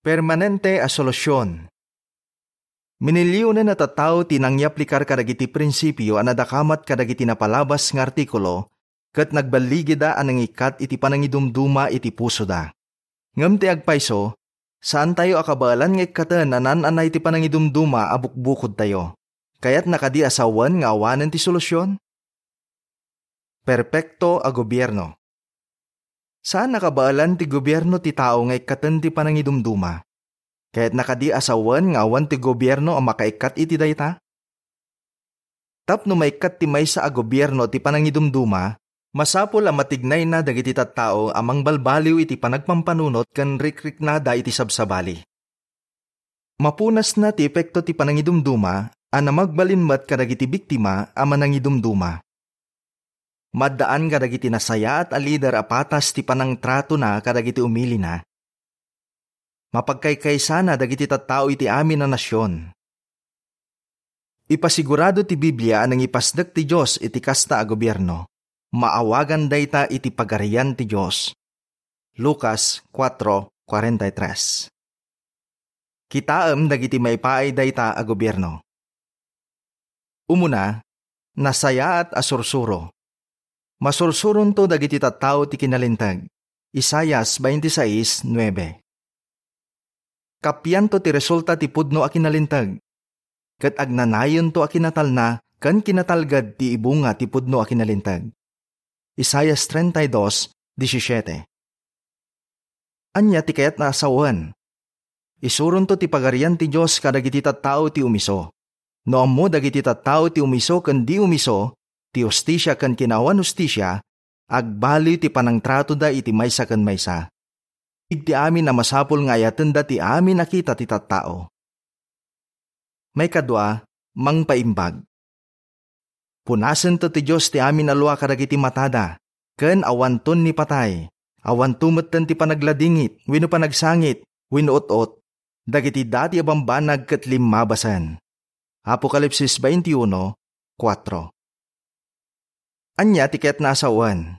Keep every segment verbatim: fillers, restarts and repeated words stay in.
Permanente a solusion. Minilionen a tattao ti nangyaplikar kadagiti prinsipio a nadakamat kadagiti napalabas nga artikulo ket nagballigida a nangikkat iti panangidumduma iti pusoda. Ngem ti agpayso, saantayo a kabaelan nga ikkaten a naan-anay ti panangidumduma a bukbukodtayo. Kayatna kadi a sawen nga awanen ti solusion? Perpekto a gobierno. Saan a kabaelan ti gobierno ti tao nga ikkaten ti panangidumduma. Kayatna kadi a sawen nga awan ti gobierno a makaikkat iti dayta? Tapno maikkat ti maysa a gobierno ti panangidumduma, masapul a matignayna dagiti tattao a mangbalbaliw iti panagpampanunot ken rikriknada iti sabsabali. Mapunasna ti epekto ti panangidumduma a namagbalin met kadagiti biktima a manangidumduma. Maddaan kadagiti nasayaat a lider a patas ti panangtratona kadagiti umilina. Mapagkaykaysana dagiti tattao iti amin a nasion. Ipasigurado ti Biblia a nangipasdek ti Dios iti kasta a gobierno. Maawagan dayta iti Pagarian ti Dios. Lucas cuatro cuarenta y tres. Kitaem dagiti maipaay dayta a gobierno. Umuna, nasayaat a sursuro. Masursuronto dagiti tattao ti kinalinteg. Isaias twenty-six nuebe. Kapianto ti resulta ti pudno a kinalinteg, ket agnanayonto a kinatalna ken kinatalged ti ibunga ti pudno a kinalinteg. Isaias treinta y dos diecisiete. Ania ti kayatna a sawen? Isuronto ti Pagarian ti Dios kadagiti tattao ti umiso. No ammo dagiti tattao ti umiso ken di umiso, ti hustisia ken kinaawan hustisia, agbaliw ti panangtratoda iti maysa ken maysa. Iti amin a masapul nga ayatenda ti amin a kita ti tattao. Maikadua, mangpaimbag. Punasento ti Dios ti amin a lua kadagiti matada, ken awanton ni patay, awanto metten ti panagladingit, wenno panagsangit, wenno ut-ot, dagiti dati a bambanag ket limmabasen. Apokalipsis twenty-one, kuatro. Ania ti kayatna a sawen?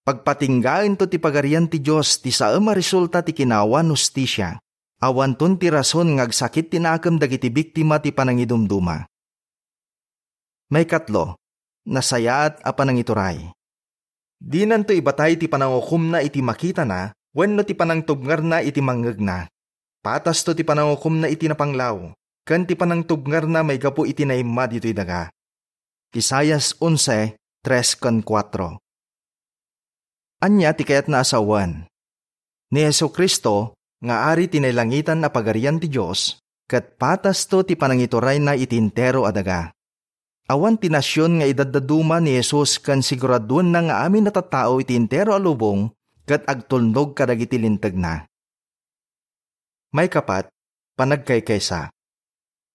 Pagpatinggaento ti Pagarian ti Dios ti saem a resulta ti kinaawan hustisia. Awanton ti rason nga agsakit ti nakem dagiti biktima ti panangidumduma. Maikatlo, nasayaat a panangituray. Dinanto ibatay ti panangukomna iti makitana wenno ti panangtubngarna iti mangngegna. Patasto ti panangukomna iti napanglaw, ken ti panangtubngarna maigapu iti naimma ditoy daga. Isaias onse, tres ken kuatro. Ania ti kayatna a sawen? Ni Jesu-Cristo nga Ari ti nailangitan a Pagarian ti Dios, ket patasto ti panangiturayna iti entero a daga. Awan ti nasion nga idaddaduma ni Jesus ken siguraduenna nga amin a tattao iti entero a lubong ket agtulnog kadagiti lintegna. Maikapat, panagkaykaysa.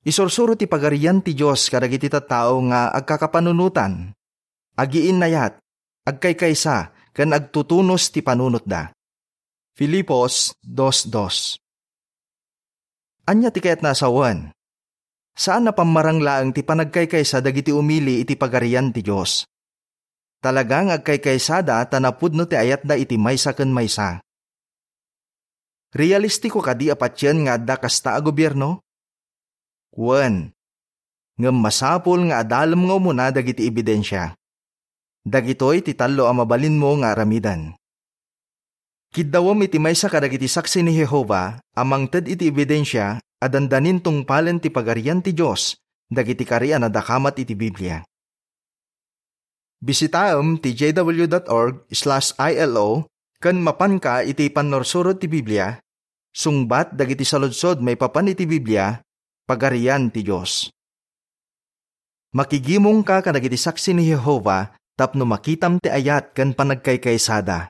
Isursuro ti Pagarian ti Dios kadagiti tattao nga agkakapanunotan, agiinnayat, agkaykaysa, ken agtutunos ti panunotda. Filipos dos dos. Ania ti kayatna a sawen? Saan a pammarang laeng ti panagkaykaysa dagiti umili iti Pagarian ti Dios. Talaga nga agkaykaysada ta napudno ti ayatda iti maysa ken maysa. Realistiko kadi a patien nga adda kasta a gobierno? Wen. Ngem masapul nga adalem nga umuna dagiti ebidensia. Dagitoy ti tallo a mabalinmo nga aramiden. Kiddawem iti maysa kadagiti saksi ni Jehovah a mangted iti ebidensia a dandanin tungpalen ti Pagarian ti Dios dagiti kari a nadakamat iti Biblia. Bisitaem ti J W dot org slash I L O ken mapanka iti pannursuro ti Biblia, sungbat dagiti saludsod maipapan iti Biblia, Pagarian ti Dios. Makigimongka kadagiti saksi ni Jehovah tapno makitam ti ayat ken panagkaykaysada.